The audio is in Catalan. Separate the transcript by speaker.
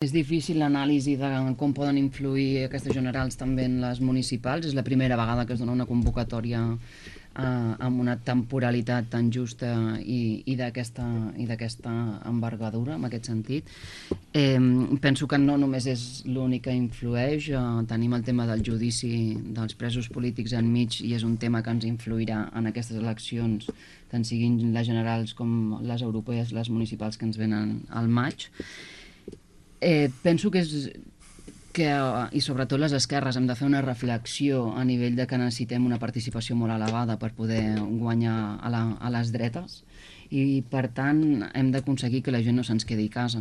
Speaker 1: És difícil l'anàlisi de com poden influir aquestes generals també en les municipals. És la primera vegada que es dona una convocatòria amb una temporalitat tan justa i d'aquesta envergadura, en aquest sentit. Penso que no només és l'únic que influeix. Tenim el tema del judici dels presos polítics enmig i és un tema que ens influirà en aquestes eleccions, tant siguin les generals com les europees, les municipals que ens venen al maig. Penso i sobretot les esquerres, hem de fer una reflexió a nivell de que necessitem una participació molt elevada per poder guanyar a les dretes i, per tant, hem d'aconseguir que la gent no se'ns quedi a casa.